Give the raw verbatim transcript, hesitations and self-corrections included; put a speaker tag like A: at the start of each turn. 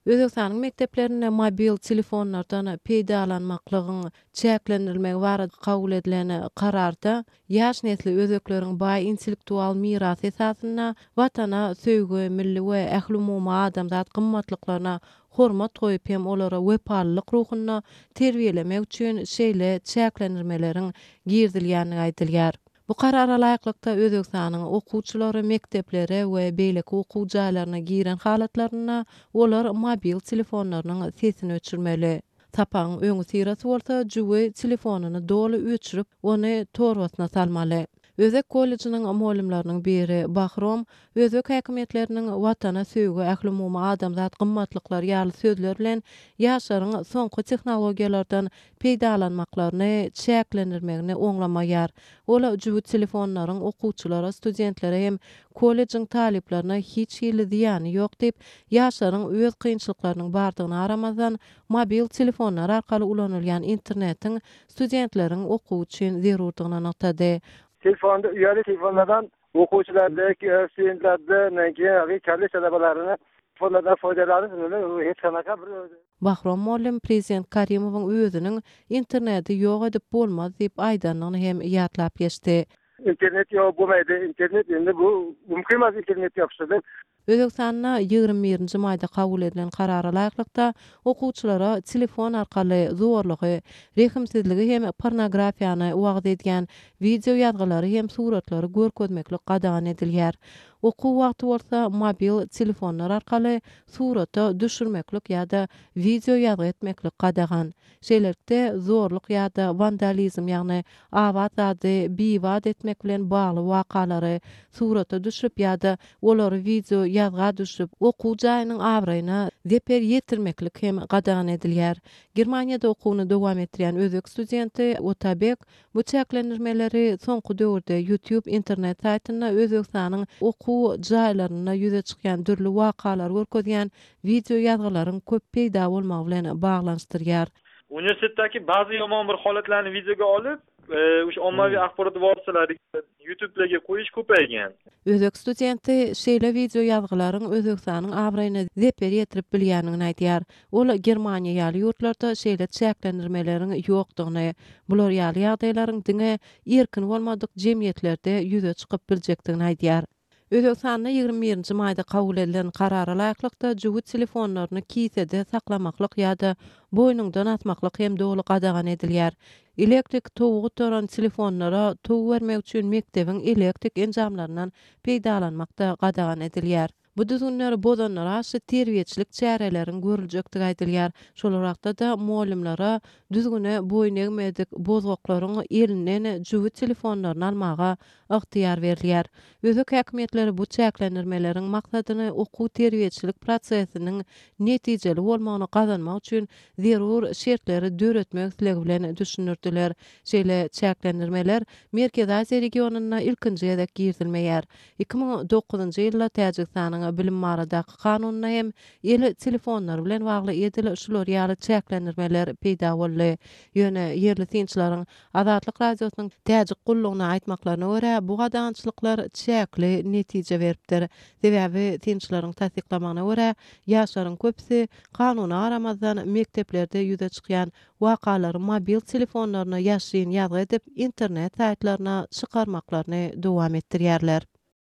A: Özbegistanyň mekdeplerinde mobil telefonlardan peýdalanmaklygyň çäklendirilmegi barada kabul edilen kararda ýaş nesli özbekleriň baý intellektual mirasy esasynda Watana söýgi, milli we ählumumy adamzat gymmatlyklaryna hormat goýup hem olara wepalylyk ruhunda terbiýelemek üçin şeýle çäklendirmeleriň girizilýändigi aýdylýar. Bu karara laýyklykda Özbegistanyň okuwçylary mekdeplere we beýleki okuw jaýlaryna giren halatlarynda olar mobil telefonlarynyň sesini öçürmeli. Sapagyň öňüsyrasy bolsa jübi telefonyny doly öçürip, ony torbasyna salmaly. Özbek kollejiniň mugallymlarynyň biri Bahrom özbek häkimiýetleriniň Watana söýgi, ählumumy adamzat gymmatlyklary ýaly sözler bilen ýaşlaryň soňky tehnologiýalardan peýdalanmaklaryny çäklendirmegini oňlamaýar. Ol jübüt telefonlaryň okuwçylara, studentlere hem kollejiň talyplaryna hiç hili zyýany ýok diýip, ýaşlaryň öz kynçylyklarynyň bardygyna garamazdan, mobil telefonlar arkaly ulanylýan internetiň studentleriň okuwy üçin zerurdygyny nygtady.
B: Telefonda, uyali telefonlardan o'quvchilarda, studentlarda, keyin kollej talabalarini telefonlardan foydalanish hech qanaqa bir
A: Bahrom mugallym prezident Karimowyň özüniň interneti ýok edip bolmaz diýip aýdandygyny hem ýatlap geçdi.
B: Internet ýok bo'lmaydi. Internet endi bu mumkin emas internet yopish.
A: Özbegistanda ýigrimi birinji maýda kabul edilen karara laýyklykda okuwçylara telefon arkaly zorlugy, rehimsizligi hem pornografiýany wagyz edýän wideo ýazgylary hem suratlary görkezmeklik gadagan edilýär. Okuw wagty bolsa mobil telefonlar arkaly surata düşürmeklik ýa-da wideo ýazgy etmeklik gadagan. Şeýlelikde zorluk ýa-da wandalizm, ýagny abat zady bibat etmek bilen bagly wakalary surata düşürip ýa-da olary wideo ýazga düşürip, okuw jaýynyň abraýyna zeper ýetirmeklik hem gadagan edilýär. Germaniýada okuwyny dowam etdirýän özbek studenti Otabek bu çäklendirmeleri soňky döwürde YouTube internet saýtynda Özbegistanyň okuw jaýlarynda ýüze çykýan dürli wakalary görkezýän wideo ýazgylaryň köp peýda bolmagy bilen baglanyşdyrýar.
C: Universitetdagi ba'zi yomon bir holatlarni videoga olib, o'sha ommaviy axborot vositalariga, YouTube'larga qo'yish ko'paygan.
A: Özbek studenti şeýle wideo ýazgylaryň Özbegistanyň abraýyna zeper ýetirip bilýändigini aýdýar. Ol Germaniýa ýaly ýurtlarda şeýle çäklendirmeleriň ýokdugyny, bular ýaly ýagdaýlaryň diňe erkin bolmadyk jemgyýetlerde ýüze çykyp biljekdigini aýdýar. Özbegistanda ýigrimi birinji maýda kabul edilen karara laýyklykda jübüt telefonlaryny kisede saklamaklyk ýa-da boýnuňdan asmaklyk hem doly gadagan edilýär. Elektrik towy gutaran telefonlara tow bermek üçin mekdebiň elektrik enjamlaryndan peýdalanmak-da gadagan edilýär. Bu düzgünleri bozanlara garşy terbiýeçilik çäreleriň görüljekdigi aýdylýar. Şol wagtda-da mugallymlara düzgüne boýun egmedik bozgaklaryň elinden jübüt telefonlaryny almaga ygtyýar berilýär. Özbek häkimiýetleri bu çäklendirmeleriň maksadyny okuw terbiýeçilik prosesiniň netijeli bolmagyny gazanmak üçin zerur şertleri döretmek islegi bilen düşündirdiler. Şeýle çäklendirmeler Merkezi Aziýa regionynda ilkinji gezek girizilmeýär. iki müň dokuzynjy ýylda Täjigistanyň bilim baradaky kanunynda hem el telefonlary bilen bagly edil şular ýaly çäklendirmeler peýda boldy. Ýöne ýerli synçylaryň Azatlyk Radiosynyň Täjik gullugyna aýtmaklaryna görä, bu gadagançylyklar çäkli netije beripdir. Sebäbi synçylaryň tassyklamagyna görä, ýaşlaryň köpüsi kanuna garamazdan mekdeplerde ýüze çykýan wakalary mobil telefonlaryna ýaşryn ýazgy edip, internet saýtlaryna çykarmaklaryny dowam etdirýärler.